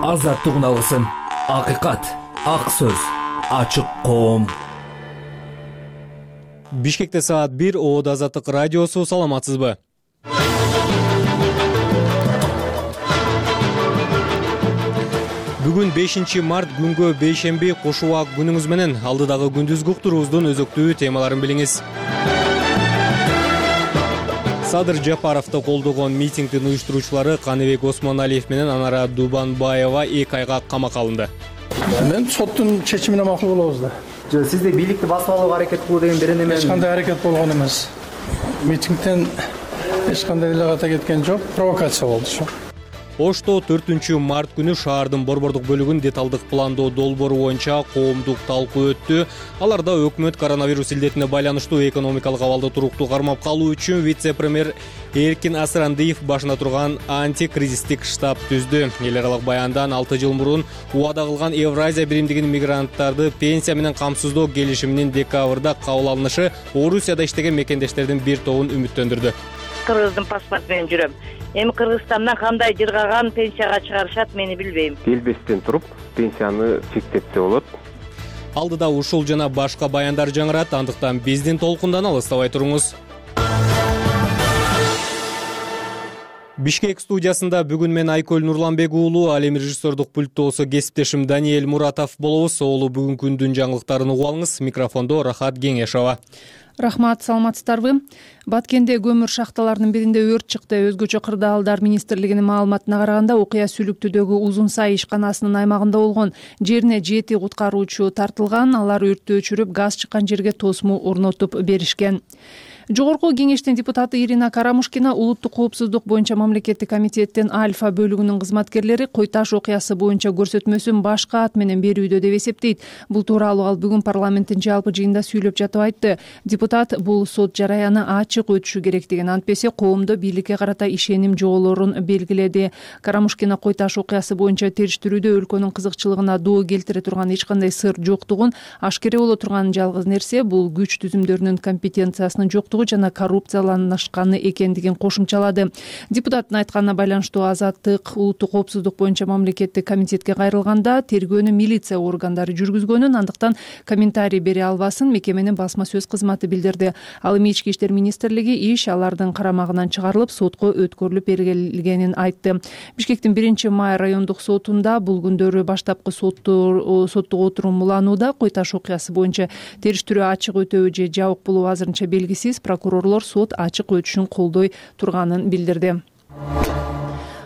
Азаттык алгысын, акыйкат, ак сөз, ачык коом. Бишкекте саат 1, ООД Азаттык радиосу. Саламатсызбы? Бүгүн 5 март күнгө бейшемби кош убак күнүңүз менен. Алдыдагы күндүзгү уктуруубуздун өзөктүү темаларын билиңиз. Садыр Жапаровду колдогон митингдин уюштуруучулары Каныбек Осмоналиев менен Анара Дубанбаева 2 айга камакка алынды. Мен соттун чечимине макул болобуз да. Сизде бийликти басып алууга аракет кылуу деген берен эме? Эч кандай аракет болгон эмес. Митингден эч кандай делегат кеткен жок, провокация болду ошо. Ошто 4 март күнү шаардын борбордук бөлүгүн деталдык пландоо долбоору боюнча коомдук талкуу өттү. Аларда өкмөт коронавирус илдетине байланыштуу экономикалык абалды туруктуу кармап калуу үчүн вице-премьер Эркин Асырандиев башына турган антикризистик штаб түздү. Эл аралык баяндан 6 жыл мурун убада кылган Евразия биримдигинин мигранттарды пенсия менен камсыздоо келишиминин декабрда кабыл алынышы Орусияда иштеген мекендештердин бир тобун үмүттөндүрдү. Кыргыздын паспорт менен жүрөм. Эми Кыргызстандан кандай жыргаган пенсияга чыгарышат, мени билбейм. Келбестен туруп пенсияны чектепсе болот. Алдыда ушул жана башка баяндар жаңырат, андыктан биздин толкундан алыстабай туруңуз. Бишкек студиясында бүгүн мен Айкөл Нурланбек уулу, ал эми режиссердук пульттоосу кесиптешим Даниэль Муратов болобуз. Оолу бүгүнкү күндүн жаңылыктарын угуп алыңыз. Микрофондо Рахат Кеңешова. Рахмат, саламатсыздарбы? Баткенде көмүр шахталарынын биринде өрт чыкты. Өзгөчө кырдаалдар министрлигинин маалыматына караганда, окуя Сүлүктүдөгү Узун Сай ишканасынын аймагында болгон. Жерине 7 куткаруучу тартылган. Алар өрттү өчүрүп, газ чыккан жерге тосму орнотуп беришкен. Жогорку кеңештин депутаты Ирина Карамушкина улуттук коопсуздук боюнча мамлекеттик комитеттин Альфа бөлүгүнүн кызматкерлери Кой-Таш окуясы боюнча көрсөтмөсүн башка ат менен берүүдө деп эсептейт. Бул тууралуу ал бүгүн парламенттин жалпы жыйында сүйлөп жатып айтты. Депутат бул сот жараяны ачык өтүшү керектигин, антпесе коомдо бийликке карата ишеним жоголорун белгиледи. Карамушкина Кой-Таш окуясы боюнча териштирүүдө өлкөнүн кызыкчылыгына доо келтире турган эч кандай сыр жоктугун, ашкере боло турган жалгыз нерсе бул күч түзүмдөрүнүн компетенциясынын жоктугу жана коррупцияланышканы экендигин кошумчалады. Депутаттын айтканына байланыштуу Азаттык улуттук коопсуздук боюнча мамлекеттик комитетке кайрылганда тергөөнү милиция органдары жүргүзгөнүн, андыктан комментарий бере албасын мекеменин басма сөз кызматы билдирди. Ал эми Ички иштер министрлиги иш алардын карамагынан чыгарылып, сотко өткөрүлүп бергенин айтты. Бишкектин 1-май райондук сотунда бул күндөрү баштапкы соттук отурум уланууда. Кой-Таш окуясы боюнча териштирүү ачык өтөбү же жабык болуу азырынча белгисиз. Прокурорлор сот ачык өтүшүн колдой турганын билдирди.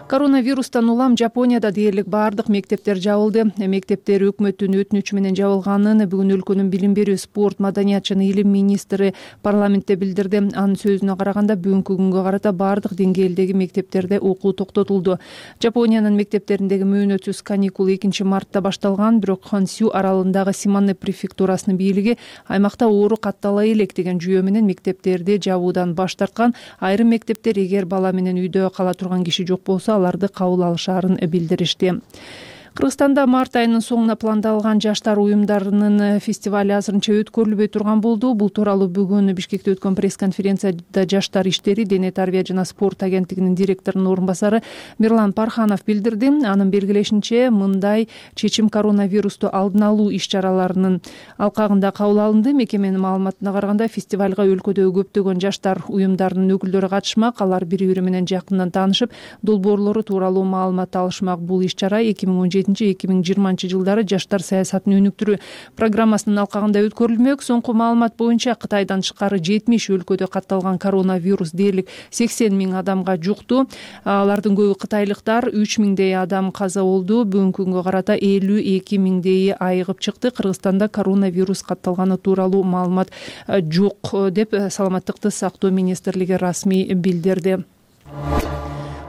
Коронавирустан улам Жапонияда дээрлик баардык мектептер жабылды. Мектептер өкмөттүн өтүнүчү менен жабылганын бүгүн өлкөнүн билим берүү, спорт, маданият жана илим министри парламентте билдирди. Анын сөзүнө караганда, бүгүнкү күнгө карата баардык деңгээлдеги мектептерде окуу токтотулду. Жапониянын мектептериндеги мөөнөтсүз каникул 2 мартта башталган, бирок Хонсю аралындагы Симане префектурасынын бийлиги аймакта оору каттала элек деген жүйө менен мектептерди жабуудан баш тарткан. Айрым мектептер эгер бала менен үйдө кала турган киши жок болсо аларды кабыл алышаарын билдиришти. Кыргызстанда март айынын соңуна пландалган жаштар уюмдарынын фестивали азырынча өткөрүлбөй турган болду. Бул тууралуу бүгүн Бишкекте өткөн пресс-конференцияда Жаштар иштери, дене тарбия жана спорт агенттигинин директорунун орун басары Мирлан Парханов билдирди. Анын белгилешинче, мындай чечим коронавирусту алдын алуу иш-чараларынын алкагында кабыл алынды. Мекеменин маалыматына караганда, фестивалга өлкөдөгү көптөгөн жаштар уюмдарынын өкүлдөрү катышмак. Алар бири-бири менен жакындан таанышып, долбоорлору тууралуу маалымат алышмак. Бул иш-чара 2017-2020 жылдары жаштар саясатын өнүктүрүү программасынын алкагында өткөрүлмөк. Соңку маалымат боюнча Кытайдан тышкары 70 өлкөдө катталган коронавирус дээрлик 80 000 адамга жукту. Алардын көбү кытайлыктар, 3 000дей адам каза болду. Бүгүнкү күнгө карата 52 000дейи айыгып чыкты. Кыргызстанда коронавирус катталганы тууралуу маалымат жок деп Саламаттыкты сактоо министрлиги расмий билдирди.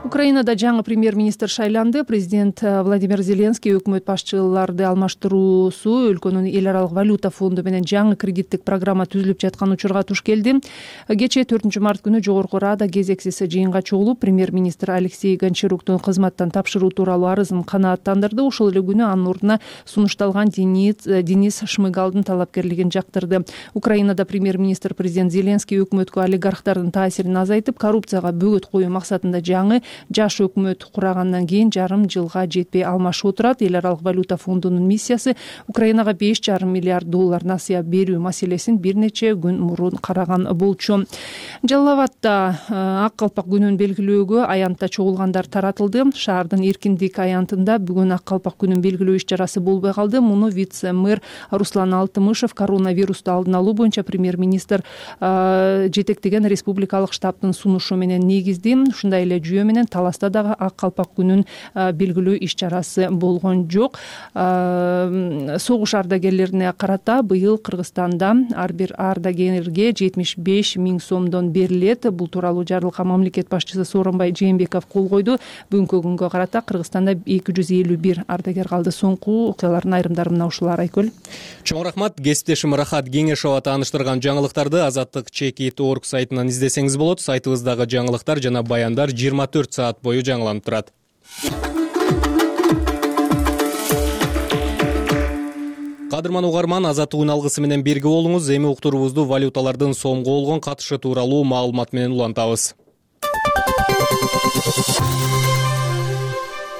Украинада жаңы премьер-министр шайланды. Президент Владимир Зеленский өкмөт башчыларды алмаштыруусу өлкөнүн эл аралык валюта фонду менен жаңы кредиттик программа түзүлүп жаткан учурга туш келди. Кечээ 4 март күнү Жогорку Рада кезексиз жыйынга чогулуп, премьер-министр Алексей Гончаруктун кызматтан тапшыруу тууралуу арызын канааттандырды. Ошол эле күнү анын ордуна сунушталган Денис Шмыгалдын талапкерлигин жактырды. Украинада премьер-министр президент Зеленский өкмөткө олигархтардын таасирин азайтып, коррупцияга бөгөт коюу максатында жаңы жаш өкмөт курагандан кийин жарым жылга жетпей алмашып отурат. Эл аралык валюта фондунун миссиясы Украинага $5,5 миллиард насыя берүү маселесин бир нече күн мурун караган болчу. Жалал Абадда ак калпак күнүн белгилөөгө аянтта чогулгандар таратылды. Шаардын эркиндик аянтында бүгүн ак калпак күнүн белгилөө иш-чарасы болбой калды. Муну вице-мэр Руслан Алтымышев коронавирусту алдын алуу боюнча премьер-министр жетектеген республикалык штабтын сунушу менен негизди. Ушундай эле жүйө менен Таласта дагы ак калпак күнүн белгилөө иш-чарасы болгон жок. Согуш ардагерлерине карата быйыл Кыргызстанда ар бир ардагерге 75 000 сомдон берилет. Бул тууралуу жарлыкка мамлекет башчысы Сооронбай Жээнбеков кол койду. Бүгүнкү күнгө карата Кыргызстанда 251 ардагер калды. Соңку окуялардын айрымдары мына ушулар. Айкөл. Чоң рахмат. Кесиптешим Рахат Кеңешова тааныштырган жаңылыктарды azatlyk.org сайтынан издесеңиз болот. Сайтыбыздагы жаңылыктар жана баяндар 24 саат бою жаңыланып турат. Кадырман угарман, азаттык үн алгысы менен бирге болуңуз. Эми уктуруубузду валюталардын сомго болгон катышы тууралуу маалымат менен улантабыз.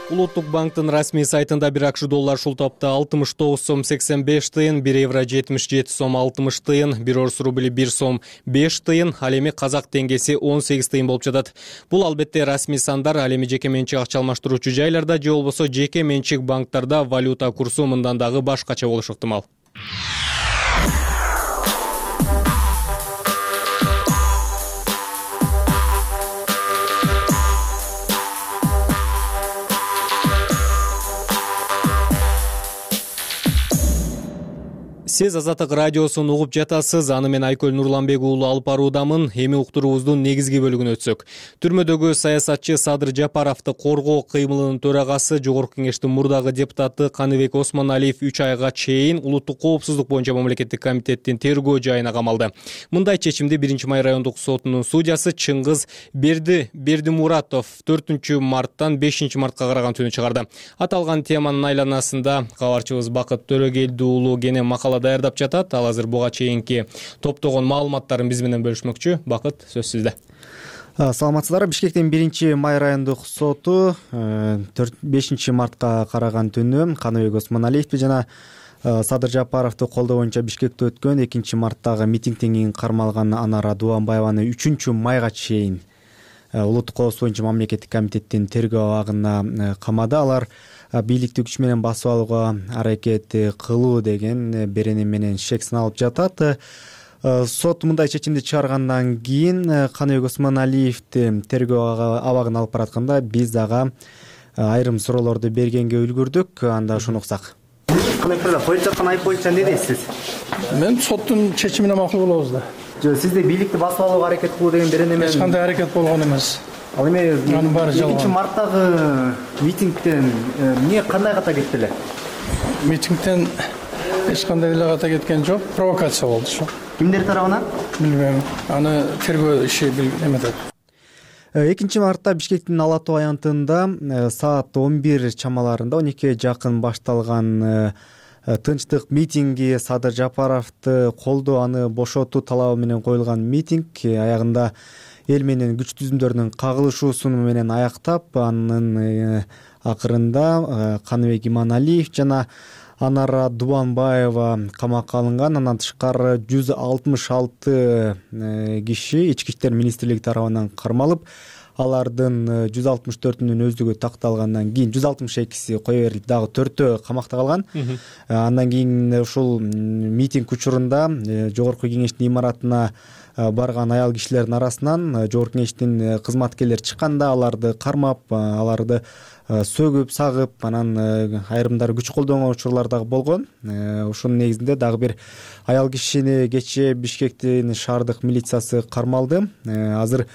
Улуттук банктын расмий сайтында бир акш доллар ушул топто 69 сом 85 тыйын, 1 евро 77 сом 60 тыйын, 1 орус рубли 1 сом 5 тыйын, ал эми казак теңгеси 18 тыйын болуп жатат. Бул албетте расмий сандар, ал эми жеке менчик акча алмаштыруучу жайларда же болбосо жеке менчик банктарда валюта курсу мындан дагы башкача болушу ыктымал. Сиз Азаттык радиосун угуп жатасыз. Аны мен Айкөл Нурланбек уулу алып баруудамын. Эми уктуруубуздун негизги бөлүгүнө өтсөк. Түрмөдөгү саясатчы Садыр Жапаровду коргоо кыймылынын төрагасы, Жогорку кеңештин мурдагы депутаты Каныбек Осмоналиев 3 айга чейин улуттук коопсуздук боюнча мамлекеттик комитеттин тергөө жайына камалды. Мындай чечимди 1-май райондук сотунун судьясы Чыңгыз Бердимуратов 4-марттан 5-мартка караган түнү чыгарды. Аталган теманын айланасында кабарчыбыз Бакыт Төрөгелди уулу кене макала даярдап жатат. Ал азыр буга чейинки топтогон маалыматтарын биз менен бөлүшмөкчү. Бакыт, сөз сизде. Саламатсыздарбы. Бишкектин 1-май райондук соту 5-мартка караган түнү Каныбек Осмоналиевди жана Садыр Жапаровду колдоо боюнча Бишкекте өткөн 2-марттагы митингден кийин кармалган Анара Дуанбаеваны 3-майга чейин улуттук коопсуздук боюнча мамлекеттик комитеттин тергөө абагына камады. Алар бийликти күч менен басып алууга аракет кылуу деген берене менен шек саналып жатат. Сот мындай чечимди чыгаргандан кийин Каныбек Осмоналиевди тергөө абагына алып баратканда биз ага айрым суроолорду бергенге үлгүрдүк. Анда ушуну уксак. Каныбек коюп жаткан айып боюнча эмне дейсиз? Мен соттун чечимине макул болобуз да. Сизде бийликти басып алууга аракет кылуу деген берене менен Эч кандай аракет болгон эмес. Ал эми Анын баары жалган. 2-марттагы митингден эмне кандай ката кетти эле? Митингден эч кандай эле ката кеткен жок, провокация болду ошо. Кимдер тарабынан? Билбейм. Аны тергөө иши эметет. 2-мартта Бишкектин Ала Тоо аянтында саат 11 чамаларында 12 жакын башталган тынчтык митинги Садыр Жапаровду колдоо, аны бошотуу талабы менен коюлган митинг аягында эл менен күч түзүмдөрүнүн кагылышуусу менен аяктап, анын акырында Каныбек Иманалиев жана Анара Дуанбаева камакка алынган. Андан тышкары 166 киши Ички иштер министрлиги тарабынан кармалып, алардын 164-үнүн өздүгү такталгандан кийин 162си кое берилип, дагы 4-өө камакта калган. Андан кийин ушул митинг учурунда Жогорку кеңештин имаратына барган аял кишилердин арасынан Жогорку кеңештин кызматкерлери чыкканда аларды кармап, аларды сөгүп, сагып, анан айрымдары күч колдонгон учурлар дагы болгон. Ушунун негизинде дагы бир аял кишини кечээ Бишкектин шаардык милициясы кармалды. Азыр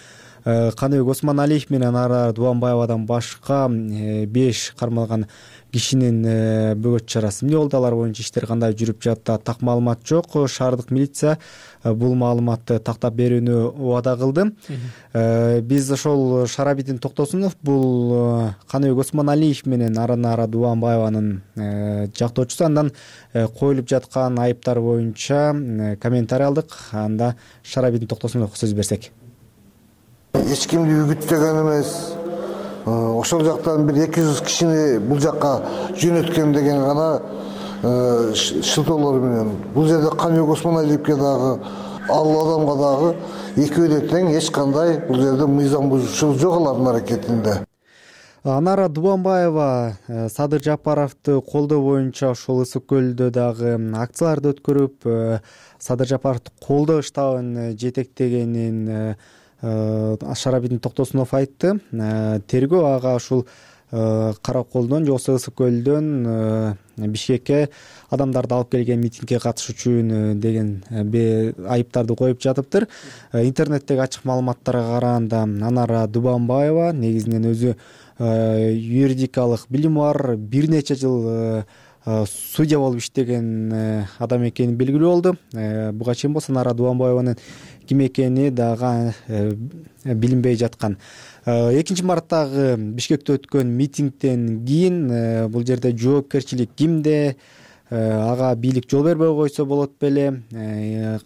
Каныбек Осмоналиев менен Анара Дуанбаевадан башка 5 кармалган кишинин бөгөт чарасы эмне болду, алар боюнча иштер кандай жүрүп жатты, так маалымат жок. Шаардык милиция бул маалыматты тактап берүүнү убада кылды. Биз ошол Шарабидин Токтосунов, бул Каныбек Осмоналиев менен Анара Дуанбаеванын жактоочусу, андан коюлуп жаткан айыптар боюнча комментарий алдык. Анда Шарабидин Токтосуновго сөз берсек. Эч кимди үгүттөгөн эмес, ошол жактан бир 200 кишини бул жакка жөнөткөн деген гана шылтоолор менен. Бул жерде Камил Осмоналиевке дагы, ал адамга дагы экөө тең, эч кандай бул жерде мыйзам бузуушулук жок алардын аракетинде. Анара Дубанбаева Садыр Жапаровду колдоо боюнча ошол Ысык көлдө дагы акцияларды өткөрүп, Садыр Жапаровду колдоо штабын жетектегенин Шарабидин Токтосунов айтты. Тергөө ага ушул Караколдон же Ысык көлдөн Бишкекке адамдарды алып келген митингге катышуучу деген айыптарды коюп жатыптыр. Интернеттеги ачык маалыматтарга караганда Анара Дубанбаева негизинен өзү юридикалык билими бар, бир нече жыл судья болуп иштеген адам экени белгилүү болду. Буга чейин болсо Анара Дубанбаеванын ким экени дагы билинбей жаткан. 2 марттагы Бишкекте өткөн митингден кийин бул жерде жоопкерчилик кимде, ага бийлик жол бербей койсо болот беле,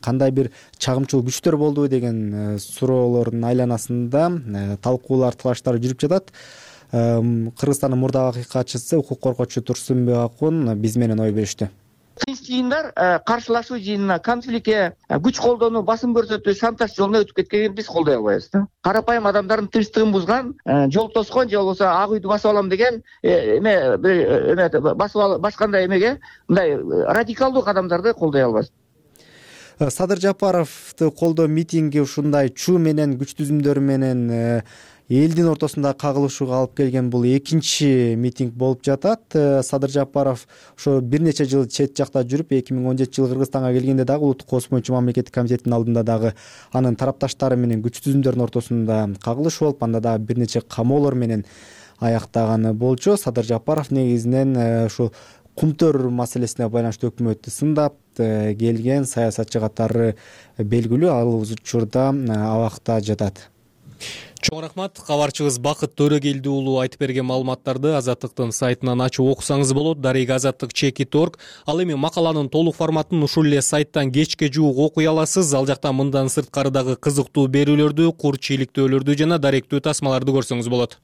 кандай бир чагымчыл күчтөр болду деген суроолордун айланасында талкуулар, талаштар жүрүп жатат. Кыргызстандын мурдагы акыйкатчысы, укук коргоочу Турсунбек Акун биз менен ой бөлүштү. Тынч жыйындар каршылашуу жыйынына, конфликтке күч колдонуу, басым көрсөтүү, шантаж жолуна өтүп кеткенин биз колдой албайбыз да. Карапайым адамдардын тынчтыгын бузган, жол тоскон же болбосо ак үйдү басып алам деген башкандай эмеге мындай радикалдуу кадамдарды колдой албайбыз. Садыр Жапаровду колдоо митинги ушундай чуу менен, күч түзүмдөр менен элдин ортосунда кагылышууга алып келген бул экинчи митинг болуп жатат. Садыр Жапаров ошо бир нече жыл чет жакта жүрүп, 2017-жылы Кыргызстанга келгенде дагы Улуттук коопсуздук боюнча мамлекеттик комитеттин алдында дагы анын тарапташтары менен күч түзүмдөрдүн ортосунда кагылышуу болуп, анда дагы бир нече камоолор менен аяктаганы болчу. Садыр Жапаров негизинен ушу кумтөр маселесине байланыштуу өкмөттү сындап келген саясатчы катары белгилүү. Ал учурда абакта жатат. Чоң рахмат. Кабарчыбыз Бакыт Төрөгелди уулу айтып берген маалыматтарды Азаттыктын сайтынан ачып окусаңыз болот. Дарек Азаттык.org. Ал эми макаланын толук форматын ушул эле сайттан кечке жуук окуй аласыз. Ал жакта мындан сырткары дагы кызыктуу берүүлөрдү, кур чийликтөөлөрдү жана даректүү тасмаларды көрсөңүз болот.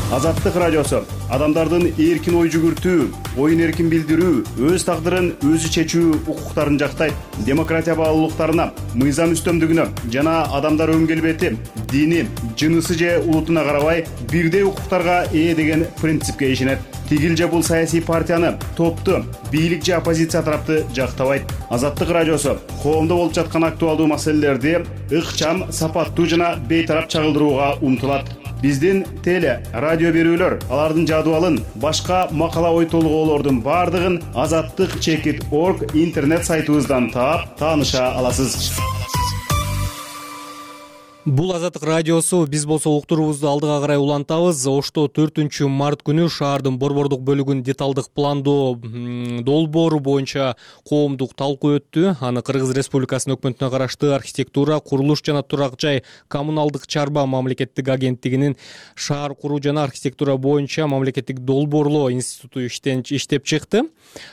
Азаттык радиосу адамдардын эркин ой жүгүртүү, оюн эркин билдирүү, өз тагдырын өзү чечүү укуктарын жактайт. Демократия баалуулуктарына, мыйзам үстөмдүгүнө жана адамдар өң келбети, дини, жынысы же улутуна карабай бирдей укуктарга ээ деген принципке ишенет. Тигил же бул саясий партияны, топту, бийлик же оппозиция тарапты жактабайт. Азаттык радиосу коомдо болуп жаткан актуалдуу маселелерди ыкчам, сапаттуу жана бейтарап чагылдырууга умтулат. Биздин теле, радио берүүлөр, алардын жадыбалын, башка макала ой толгоолордун бардыгын Azattık.org интернет сайтыбыздан таап, тааныша аласыз. Бул Азаттык радиосу. Биз болсо уктуруубузду алдыга карай улантабыз. Ошто 4 март күнү шаардын борбордук бөлүгүнүн деталдык пландоо долбоору боюнча коомдук талкуу өттү. Аны Кыргыз Республикасынын өкмөтүнө караштуу архитектура, курулуш жана турак жай коммуналдык чарба мамлекеттик агенттигинин шаар куруу жана архитектура боюнча мамлекеттик долбоорлоо институту иштеп чыкты.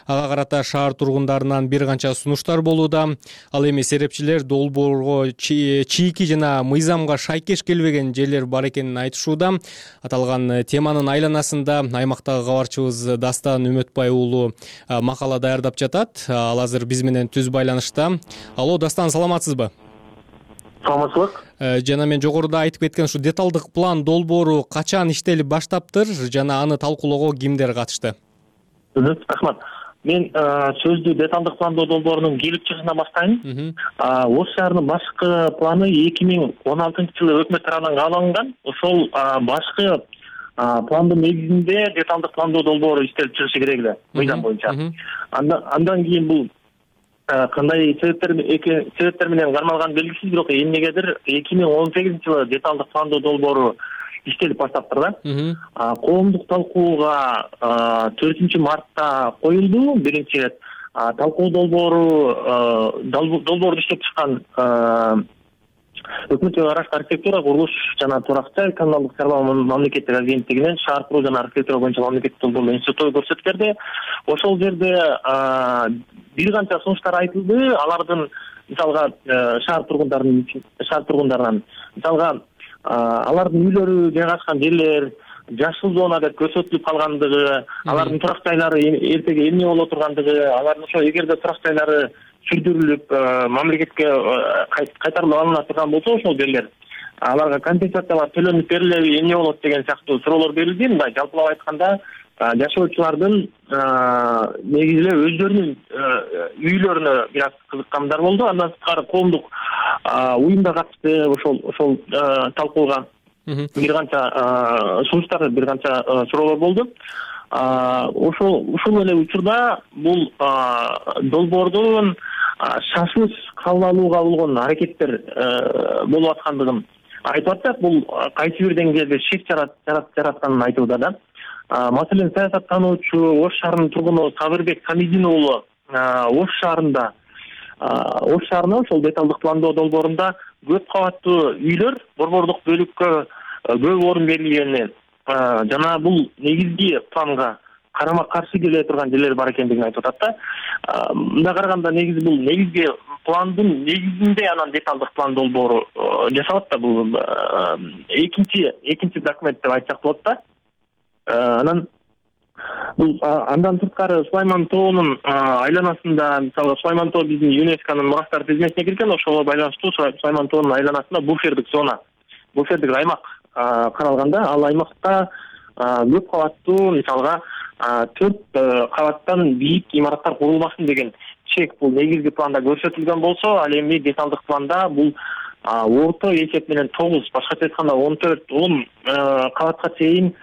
Ага карата шаар тургундарынан бир канча сунуштар болууда. Ал эми серепчилер долбоорго чийки жана мыйзамга шайкеш келбеген жерлер бар экенин айтышууда. Аталган теманын айланасында аймактагы кабарчыбыз Дастан Үмөтбай уулу макала даярдап жатат. Ал азыр биз менен түз байланышта. Алло, Дастан, саламатсызбы? Саламатсызбы. Жана мен жогоруда айтып кеткен ушу деталдык план долбоору качан иштелип баштаптыр жана аны талкуулоого кимдер катышты? Рахмат. Мен сөздү деталдык пландоо долбоорунун келип чыгышынан баштайын. Ош шаарынын башкы планы 2016-жылы өкмөт тарабынан кабыл алынган. Ошол башкы пландын негизинде деталдык пландоо долбоору иштелип чыгышы керек эле мыйзам боюнча. Андан кийин бул кандай себептер менен кармалган белгисиз, бирок эмнегедир 2018-жылы деталдык пландоо долбоору иштелип баштаптыр да. Коомдук талкууга 4 мартта коюлду биринчи ирет. Талкуу долбоорду иштеп чыккан өкмөткө караштуу архитектура, курулуш жана турак жай коммуналдык чарба мамлекеттик агенттигинин шаар куруу жана архитектура боюнча мамлекеттик долбоорлоо институту көрсөтүп берди. Ошол жерде бир канча сунуштар айтылды. Алардын мисалга шаар тургундарынан мисалга алардын үйлөрү жайгашкан жерлер жашыл зона деп көрсөтүлүп калгандыгы, алардын турак жайлары эртеге эмне боло тургандыгы, алардын ошо эгерде турак жайлары сүрдүрүлүп мамлекетке кайтарылып алына турган болсо ошол жерлер аларга компенсациялар төлөнүп берилеби, эмне болот деген сыяктуу суроолор берилди. Мындай жалпылап айтканда жашоочулардын негизи эле өздөрүнүн үйлөрүнө бир аз кызыккандар болду. Андан сырткары коомдук уюм да катышты ошол талкууга. Бир канча сунуштар, бир канча суроолор болду. Ушул эле учурда бул долбоордун шашылыш кабыл алууга болгон аракеттер болуп аткандыгын айтып атат. Бул кайсы бир деңгээлде шек жаратканын айтууда да. Маселен, саясаттануучу Ош шаарынын тургуну Сабырбек Хамидин уулу Ош шаарына ошол деталдык пландоо долбоорунда көп кабаттуу үйлөр борбордук бөлүккө көп орун берилгени жана бул негизги планга карама каршы келе турган жерлер бар экендигин айтып атат да. Мындай караганда негизи бул негизги пландын негизинде анан деталдык план долбоору жасалат да. Бул экинчи документ деп айтсак болот да. Анан бул андан сырткары Сулайман тоонун айланасында, мисалы Сулайман тоо биздин ЮНЕСКОнун мурастар тизмесине кирген, ошого байланыштуу Сулайман тоонун айланасында буфердик зона, буфердик аймак каралганда, ал аймакта көп кабаттуу, мисалга 4 кабаттан бийик имараттар курулмасын деген чек бул негизги планда көрсөтүлгөн болсо, ал эми деталдык планда бул орто эсеп менен 9, башкача айтканда 14-10 кабатка чейин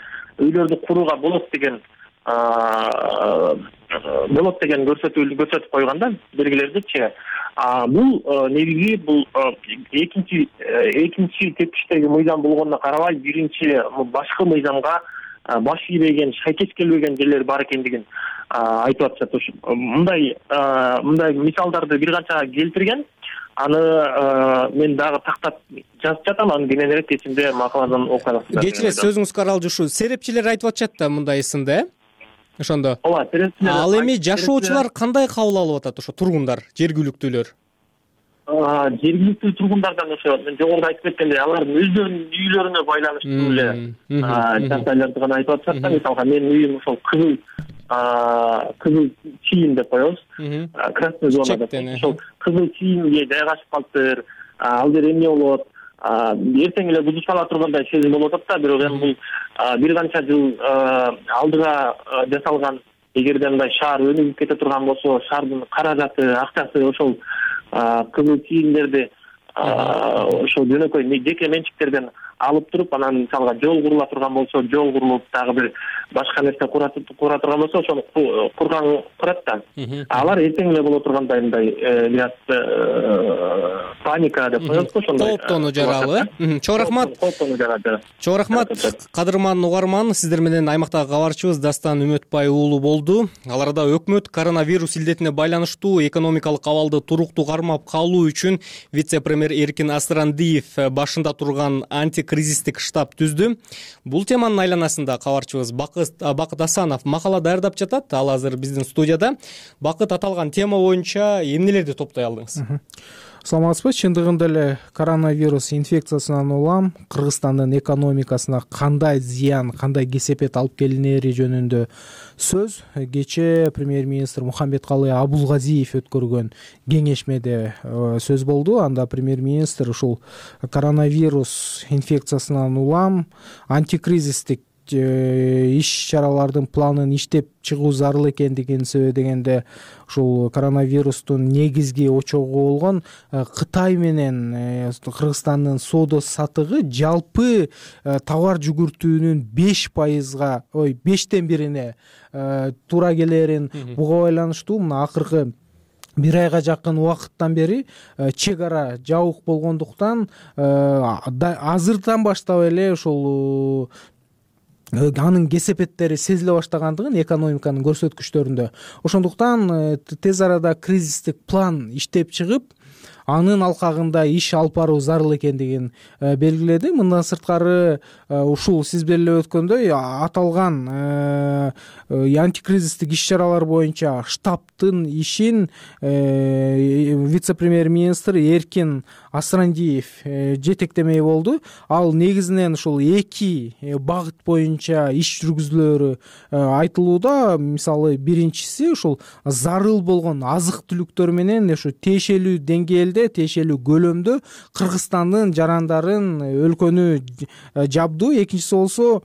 үйлөрдү курууга болот деген көрсөтүп койганда белгилердичи. Бул негизи бул экинчи тепкичтеги мыйзам болгонуна карабай, биринчи башкы мыйзамга баш ийбеген, шайкеш келбеген жерлер бар экендигин айтып атышат. Мындай мисалдарды бир канча келтирген. Аны мен дагы тактап жазып жатам, аны кененирээк кечинде макаладан окуй аласыздар. Кечиресиз, сөзүңүз каралды. Ушу серепчилер айтып атышат да мындай сынды, ошондо. Ооба, серепчилер. Ал эми жашоочулар кандай кабыл алып атат, ошо тургундар, жергиликтүүлөр? Жергиликтүү тургундардан ошо мен жогоруда айтып кеткендей, алардын өздөрүнүн үйлөрүнө байланыштуу эле жагдайларды гана айтып атышат да. Мисалга менин үйүм ошол кызыл чийим деп коебуз. Красный зона деп. Ошол кызыл чийимге жайгашып калыптыр. Ал жер эмне болот? Эртең эле бузуп сала тургандай сезим болуп атат да. Бирок эми бул бир канча жыл алдыга жасалган. Эгерде мындай шаар өнүгүп кете турган болсо, шаардын каражаты, акчасы ошол кызыл чийимдерди ошол жөнөкөй жеке менчиктерден алып туруп, анан мисалга жол курула турган болсо, жол курулуп, дагы бир башка нерсе кура турган болсо, ошону курат да. Алар эртең эле боло тургандай мындай бир аз паника деп коебузго, ошондой кооптонуу жаралы. Чоң рахмат. Чоң рахмат, кадырман угарман. Сиздер менен аймактагы кабарчыбыз Дастан Үмөтбай уулу болду. Ал арада өкмөт коронавирус илдетине байланыштуу экономикалык абалды туруктуу кармап калуу үчүн вице-премьер Эркин Асырандиев башында турган антикризистик штаб түздү. Бул теманын айланасында кабарчыбыз Бакыт Асанов макала даярдап жатат. Ал азыр биздин студияда. Бакыт, аталган тема боюнча эмнелерди топтой алдыңыз? Саламатсызбы? Чындыгында эле коронавирус инфекциясынан улам Кыргызстандын экономикасына кандай зыян, кандай кесепет алып келинери жөнүндө сөз кечээ премьер-министр Мухамбеткалый Абулгазиев өткөргөн кеңешмеде сөз болду. Анда премьер-министр ушул коронавирус инфекциясынан улам антикризистик иш-чаралардын планын иштеп чыгуу зарыл экендигин сөйлөгөндө, ушул коронавирустун негизги очогу болгон Кытай менен Кыргызстандын соода сатыгы жалпы товар жүгүртүүнүн 5%, 1/5 туура келерин буга байланыштуу мына акыркы бир айга жакын убакыттан бери чек ара жабык болгондуктан азырдан баштап эле ушул анын кесепеттери сезиле баштагандыгын экономиканын көрсөткүчтөрүндө. Ошондуктан тез арада кризистик план иштеп чыгып, анын алкагында иш алып баруу зарыл экендигин белгиледи. Мындан сырткары ушул сиз беле өткөндөй аталган антикризистик иш-чаралар боюнча штабтын ишин вице-премьер-министр Эркин Асрандиев жетектемей болду. Ал негизинен ушул 2 багыт боюнча иш жүргүзүүлөрү айтылууда. Мисалы биринчиси ушул зарыл болгон азык түлүктөр менен ушу тиешелүү деңгээлде, тиешелүү көлөмдө Кыргызстандын жарандарын өлкөнү жабдуу. Экинчиси болсо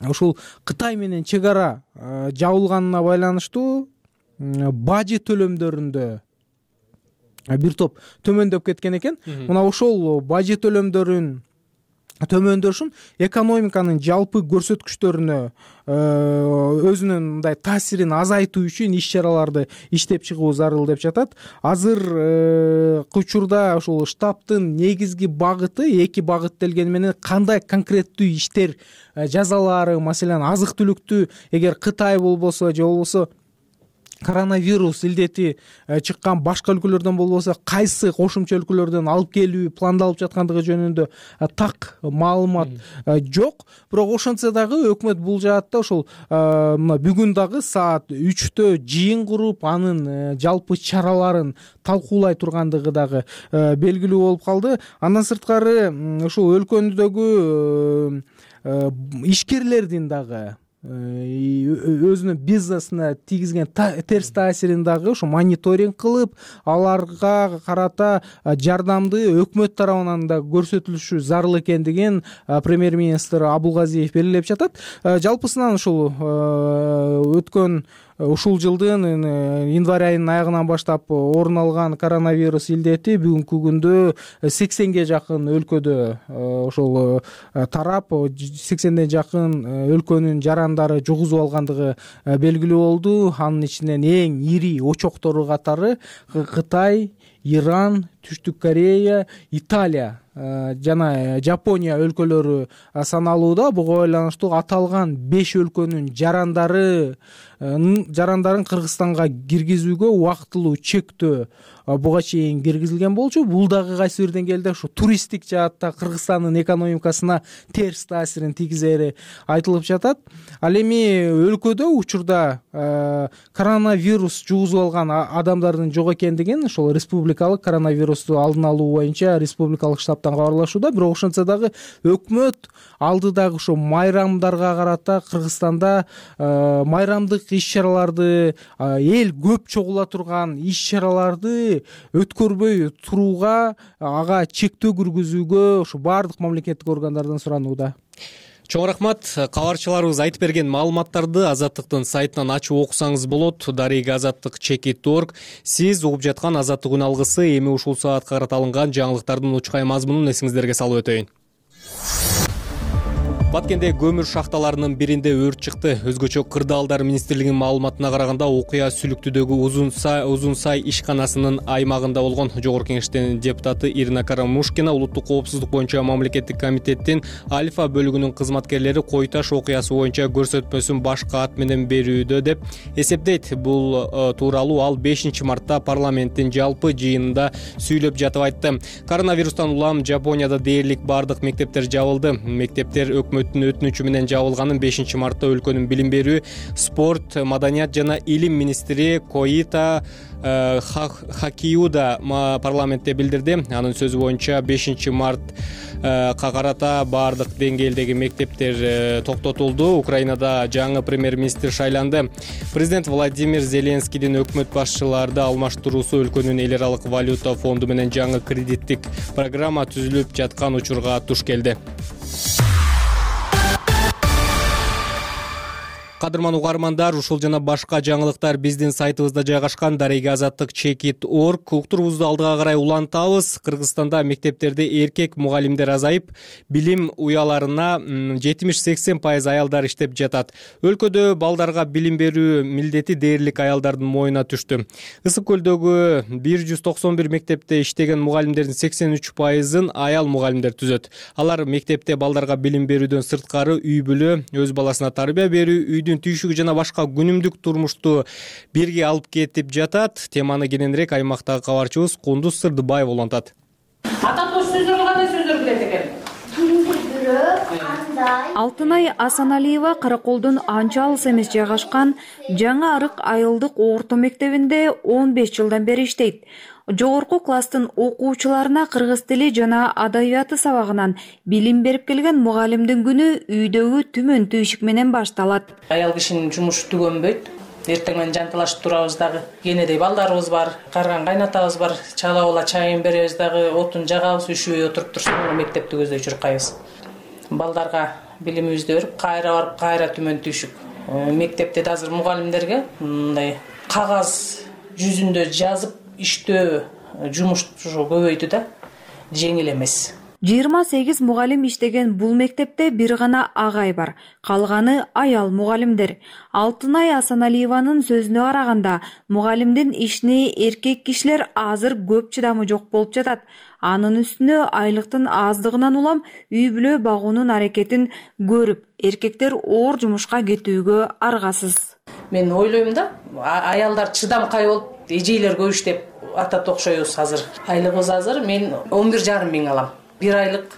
ушул Кытай менен чек ара жабылганына байланыштуу бажы төлөмдөрүндө бир топ төмөндөп кеткен экен. Мына ошол бажы төлөмдөрүн төмөндөшүн экономиканын жалпы көрсөткүчтөрүнө өзүнүн мындай таасирин азайтуу үчүн иш чараларды иштеп чыгуу зарыл деп жатат. Азыр учурда ушул штабтын негизги багыты 2 багыт делгени менен кандай конкреттүү иштер жазалары, маселен азык түлүктү эгер Кытай болбосо же болбосо коронавирус илдети чыккан башка өлкөлөрдөн болбосо кайсы кошумча өлкөлөрдөн алып келүү пландалып жаткандыгы жөнүндө так маалымат жок. Бирок ошентсе дагы өкмөт бул жаатта ошол мына бүгүн дагы саат 3-тө жыйын куруп, анын жалпы чараларын талкуулай тургандыгы дагы белгилүү болуп калды. Андан сырткары ушул өлкөдөгү ишкерлердин дагы өзүнүн бизнесине тийгизген терс таасирин дагы ушу мониторинг кылып, аларга карата жардамды өкмөт тарабынан да көрсөтүлүшү зарыл экендигин премьер-министр Абулгазиев белгилеп жатат. Жалпысынан ушул өткөн ушул жылдын январь айынын аягынан баштап орун алган коронавирус илдети бүгүнкү күндө 80ге жакын өлкөдө ошол тарап, 80ден жакын өлкөнүн жарандары жугузуп алгандыгы белгилүү болду. Анын ичинен эң ири очоктору катары Кытай, Иран, Түштүк Корея, Италия жана Жапония өлкөлөрү саналууда. Буга байланыштуу аталган 5 өлкөнүн жарандарын Кыргызстанга киргизүүгө убактылуу чектөө буга чейин киргизилген болчу. Бул дагы кайсы бир деңгээлде ушу туристтик жаатта Кыргызстандын экономикасына терс таасирин тийгизери айтылып жатат. Ал эми өлкөдө учурда коронавирус жугузуп алган адамдардын жок экендигин ошол республикалык коронавирусту алдын алуу боюнча республикалык штабтан кабарлашууда. Бирок ошентсе дагы өкмөт алдыдагы ошо майрамдарга карата Кыргызстанда майрамдык иш чараларды, эл көп чогула турган иш чараларды өткөрбөй турууга, ага чектөө киргизүүгө ушу баардык мамлекеттик органдардан суранууда. Чоң рахмат. Кабарчыларыбыз айтып берген маалыматтарды Азаттыктын сайтынан ачып окусаңыз болот. darega-azаттыk.org. Сиз угуп жаткан Азаттык күн алгысы эми ушул саатка карата алынган жаңылыктардын учкай мазмунун эсиңиздерге салып өтөйүн. Баткенде көмүр шахталарынын биринде өрт чыкты. Өзгөчө Кырдаалдар министрлигинин маалыматына караганда окуя Сүлүктүдөгү Узун сай ишканасынын аймагында болгон. Жогорку кеңештин депутаты Ирина Карамушкина улуттук коопсуздук боюнча мамлекеттик комитеттин Альфа бөлүгүнүн кызматкерлери Кой Таш окуясы боюнча көрсөтмөсүн башка ат менен берүүдө деп эсептейт. Бул тууралуу ал 5 мартта парламенттин жалпы жыйынында сүйлөп жатып айтты. Коронавирустан улам Жапонияда дээрлик бардык мектептер жабылды. Мектептер өкмөттүн өтүнүчү менен жабылганын 5 мартта өлкөнүн билим берүү, спорт, маданият жана илим министри Коита Хакиуда парламентте билдирди. Анын сөзү боюнча 5 мартка карата бардык деңгээлдеги мектептер токтотулду. Украинада жаңы премьер-министр шайланды. Президент Владимир Зеленскийдин өкмөт башчыларды алмаштыруусу өлкөнүн эл аралык валюта фонду менен жаңы кредиттик программа түзүлүп жаткан учурга туш келди. Кадырман угармандар, ушул жана башка жаңылыктар биздин сайтыбызда жайгашкан darega-azаттыk.org. Уктурубузду алдыга карай улантабыз. Кыргызстанда мектептерде эркек мугалимдер азайып, билим уяларына 70-80% аялдар иштеп жатат. Өлкөдө балдарга билим берүү милдети дээрлик аялдардын моюна түштү. Ысык көлдөгү 191 мектепте иштеген мугалимдердин 83%-ын аял мугалимдер түзөт. Алар мектепте балдарга билим берүүдөн сырткары үй бүлө, өз баласына тарбия берүү, түйшүгү жана башка күнүмдүк турмушту бирге алып кетип жатат. Теманы кененирээк аймактагы кабарчыбыз Кундуз Сырдыбаев улантат. Аталган сөздөр кандай сөздөр билет экен? Алтынай Асаналиева Караколдун анча алыс эмес жайгашкан Жаңы Арык айылдык орто мектебинде 15 жылдан бери иштейт. Жогорку класстын окуучуларына кыргыз тили жана адабияты сабагынан билим берип келген мугалимдин күнү үйдөгү түмөн түйшүк менен башталат. Аял кишинин жумушу түгөнбөйт. Эртең менен жанталашып турабыз дагы. Кенедей балдарыбыз бар, карган кайнатабыз бар. Чала чайын беребиз дагы, отун жагабыз, үшүбөй отуруп турсун, мектепти көздөй чуркайбыз. Балдарга билимибизди берип, кайра барып, кайра түмөн түйшүк. Мектепте да азыр мугалимдерге мындай кагаз жүзүндө жазып иштөө жумуш көбөйдү да, жеңил эмес. 28 мугалим иштеген бул мектепте бир гана агай бар, калганы аял мугалимдер. Алтынай Асаналиеванын сөзүнө караганда, мугалимдин ишине эркек кишилер азыр көп чыдамы жок болуп жатат. Анын үстүнө айлыктын аздыгынан улам үй бүлө багуунун аракетин көрүп, эркектер оор жумушка кетүүгө аргасыз. Мен ойлойм да, аялдар чыдамкай болуп, эжейлер көп иштеп атат окшойбуз азыр. Айлыгыбыз азыр мен 11,5 миң алам. Bir aylık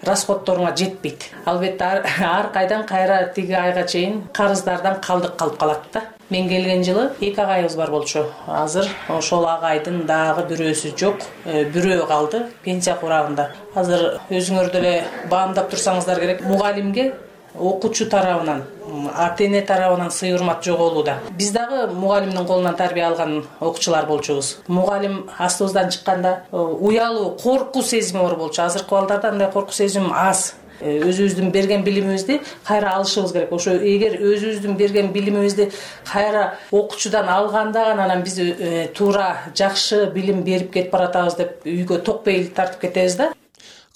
расходторуңа жетпейт. Албетте ар кайдан кайра тиги айга чейин карыздардан калдык калып калат да. Мен келген жылы 2 агайыбыз бар болчу. Азыр ошол агайдын дагы бирөөсү жок, бирөө калды пенсия курагында. Азыр өзүңөр деле баамдап турсаңыздар керек. Мугалимге окуучу тарабынан, ата-эне тарабынан сый урмат жоголууда. Биз дагы мугалимдин колунан тарбия алган окуучулар болчубуз. Мугалим астыбыздан чыкканда уялуу, коркуу сезими бар болчу. Азыркы балдарда андай коркуу сезим аз. Өзүбүздүн берген билимибизди кайра алышыбыз керек. Ошо эгер өзүбүздүн берген билимибизди кайра окуучудан алганда гана анан биз туура жакшы билим берип кетип баратабыз деп үйгө ток пейил тартып кетебиз да.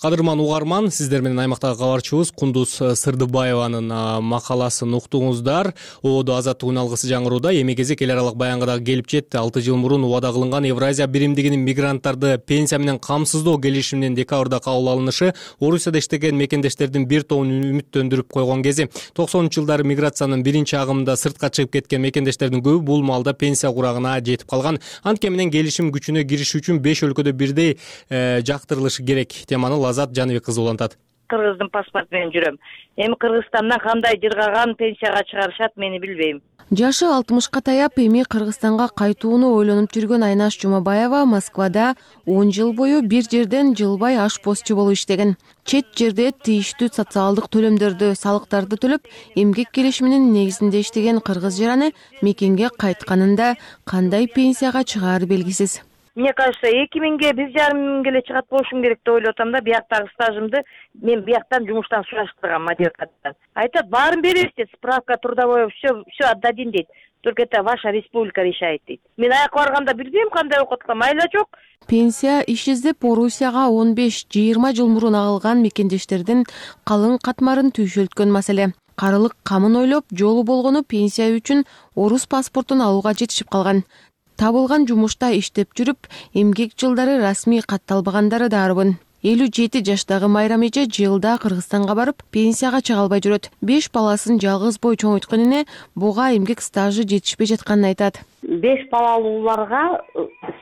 Кадырман угарман, сиздер менен аймактагы кабарчыбыз Кундуз Сырдыбаеванын макаласын уктуңуздар. Ободо азаттык үн алгысы жаңырууда эми кезек эл аралык баянга дагы келип жетти. 6 жыл мурун убада кылынган Евразия биримдигинин мигранттарды пенсия менен камсыздоо келишиминин декабрда кабыл алынышы Орусияда иштеген мекендештердин бир тобун үмүттөндүрүп койгон кези. 90-жылдары миграциянын биринчи агымында сыртка чыгып кеткен мекендештердин көбү бул маалда пенсия курагына жетип калган. Анткени менен келишим күчүнө кириши үчүн 5 өлкөдө бирдей жактырылышы керек. Теманы Азат Жаныбек кызы улантат. Кыргыздын паспорту менен жүрөм. Эми Кыргызстандан кандай жыргаган пенсияга чыгарышат, мени билбейм. Жашы 60-ка таяп эми Кыргызстанга кайтууну ойлонуп жүргөн Айнаш Жумабаева Москвада 10 жыл бою бир жерден жылбай ашпозчу болуп иштеген. Чет жерде тийиштүү социалдык төлөмдөрдү, салыктарды төлөп, эмгек келишиминин негизинде иштеген кыргыз жараны мекенге кайтканында кандай пенсияга чыгаары белгисиз. Мне кажется, 2000-ге 1,5 миңге эле чыгат болушум керек деп ойлоп атам да. Бияктагы стажымды мен бияктан жумуштан сураштыргам, математикадан. Айтат, баарын беребиз дейт, справка трудовой, все отдадим дейт. Только это ваша республика решает дейт. Мен аяк барганда билбейм кандай окуп аткам, майла жок. Пенсия иш издеп Орусияга 15-20 жыл мурун агылган мекендештердин калың катмарын түйшөлткөн маселе. Карылык камын ойлоп, жолу болгону пенсия үчүн орус паспортун алууга жетишип калган. Табылган жумушта иштеп жүрүп, эмгек жылдары расмий катталбагандары дарбын. 57 жаштагы Майрам эже жылда Кыргызстанга барып, пенсияга чыга албай жүрөт. 5 баласын жалгыз бой чоңойткон эне буга эмгек стажы жетишпей жатканын айтат. 5 балалууларга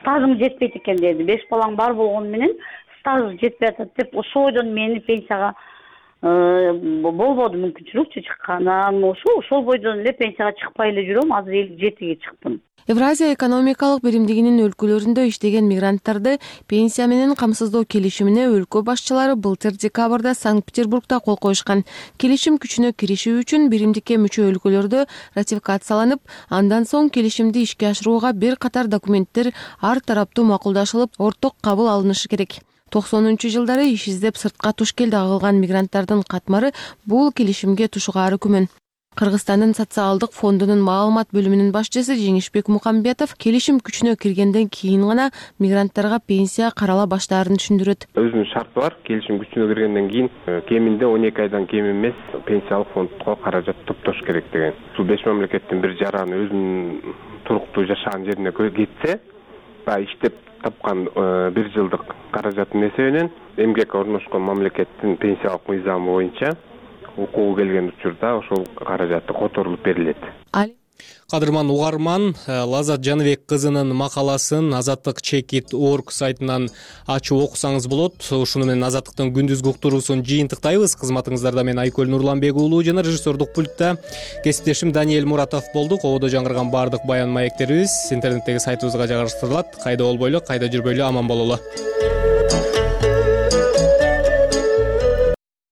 стажым жетпейт экен деди. 5 балаң бар болгону менен стаж жетпей атат деп ошойдон мени пенсияга болбоду мүмкүнчүлүк чыккандан ошол бойдон эле пенсияга чыкпай эле жүрөм. Азыр 57-ге чыктым. Евразия экономикалык биримдигинин өлкөлөрүндө иштеген мигранттарды пенсия менен камсыздоо келишимине өлкө башчылары былтыр декабрда Санкт-Петербургда кол коюшкан. Келишим күчүнө кириши үчүн биримдикке мүчө өлкөлөрдө ратификацияланып, андан соң келишимди ишке ашырууга бир катар документтер ар тараптуу макулдашылып, орток кабыл алынышы керек. 90-жылдары иш издеп сыртка туш келди агылган мигранттардын катмары бул келишимге тушугаары күмөн. Кыргызстандын социалдык фондунун маалымат бөлүмүнүн башчысы Жеңишбек Мукамбетов келишим күчүнө киргенден кийин гана мигранттарга пенсия карала баштаарын түшүндүрөт. Өзүнүн шарты бар. Келишим күчүнө киргенден кийин кеминде 12 айдан кем эмес пенсиялык фондко каражат топтош керек деген. Бул 5 мамлекеттин бир жараны өзүнүн туруктуу жашаган жерине кетсе, иштеп тапкан 1 жылдык каражаттын эсебинен эмгекке орношкон мамлекеттин пенсиялык мыйзамы боюнча укугу келген учурда ошол каражаты которулуп берилет. Кадырман угарман, Лазат Жаныбек кызынын макаласын azatlyk.org сайтынан ачып окусаңыз болот. Ушуну менен Азаттыктын күндүзгү уктуруусун жыйынтыктайбыз. Кызматыңыздарда мен Айкөл Нурланбек уулу жана режиссердук пультта кесиптешим Даниэль Муратов болду. Кободо жаңырган баардык баян маектерибиз интернеттеги сайтыбызга жайгаштырылат. Кайда болбойлу, кайда жүрбөйлү аман бололу.